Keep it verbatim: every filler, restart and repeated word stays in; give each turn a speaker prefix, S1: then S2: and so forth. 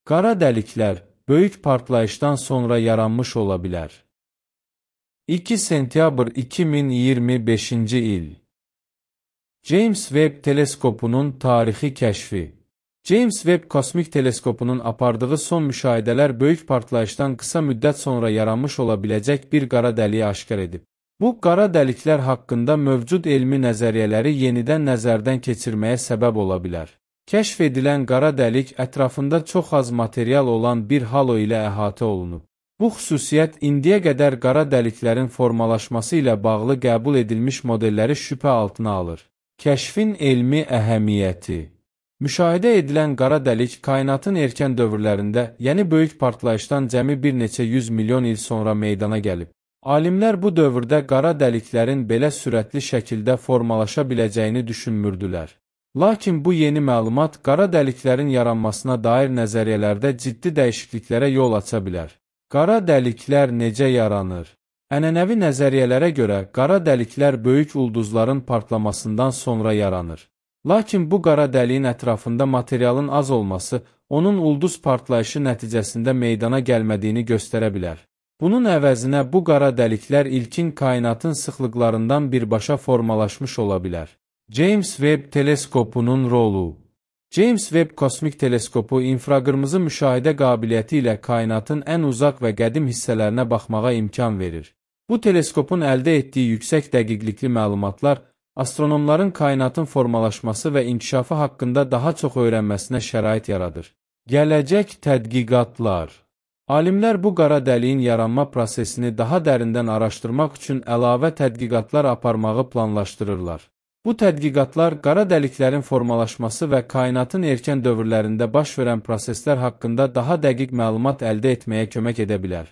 S1: Qara dəliklər böyük partlayışdan sonra yaranmış ola bilər. iki sentyabr iki min iyirmi beşinci il. James Webb teleskopunun tarixi kəşfi. James Webb kosmik teleskopunun apardığı son müşahidələr böyük partlayışdan qısa müddət sonra yaranmış ola biləcək bir qara dəliyi aşkar edib. Bu, qara dəliklər haqqında mövcud elmi nəzəriyyələri yenidən nəzərdən keçirməyə səbəb ola bilər. Kəşf edilən qara dəlik ətrafında çox az material olan bir halo ilə əhatə olunub. Bu xüsusiyyət indiyə qədər qara dəliklərin formalaşması ilə bağlı qəbul edilmiş modelləri şübhə altına alır. Kəşfin elmi əhəmiyyəti. Müşahidə edilən qara dəlik kainatın erkən dövrlərində, yəni böyük partlayışdan cəmi bir neçə yüz milyon il sonra meydana gəlib. Alimlər bu dövrdə qara dəliklərin belə sürətli şəkildə formalaşa biləcəyini düşünmürdülər. Lakin bu yeni məlumat qara dəliklərin yaranmasına dair nəzəriyyələrdə ciddi dəyişikliklərə yol aça bilər. Qara dəliklər necə yaranır? Ənənəvi nəzəriyyələrə görə qara dəliklər böyük ulduzların partlamasından sonra yaranır. Lakin bu qara dəliyin ətrafında materialın az olması onun ulduz partlayışı nəticəsində meydana gəlmədiyini göstərə bilər. Bunun əvəzinə bu qara dəliklər ilkin kainatın sıxlıqlarından birbaşa formalaşmış ola bilər. James Webb teleskopunun rolu. James Webb kosmik teleskopu infraqırmızı müşahidə qabiliyyəti ilə kainatın ən uzaq və qədim hissələrinə baxmağa imkan verir. Bu teleskopun əldə etdiyi yüksək dəqiqlikli məlumatlar astronomların kainatın formalaşması və inkişafı haqqında daha çox öyrənməsinə şərait yaradır. Gələcək tədqiqatlar. Alimlər bu qara dəliyin yaranma prosesini daha dərindən araşdırmaq üçün əlavə tədqiqatlar aparmağı planlaşdırırlar. Bu tədqiqatlar qara dəliklərin formalaşması və kainatın erkən dövrlərində baş verən proseslər haqqında daha dəqiq məlumat əldə etməyə kömək edə bilər.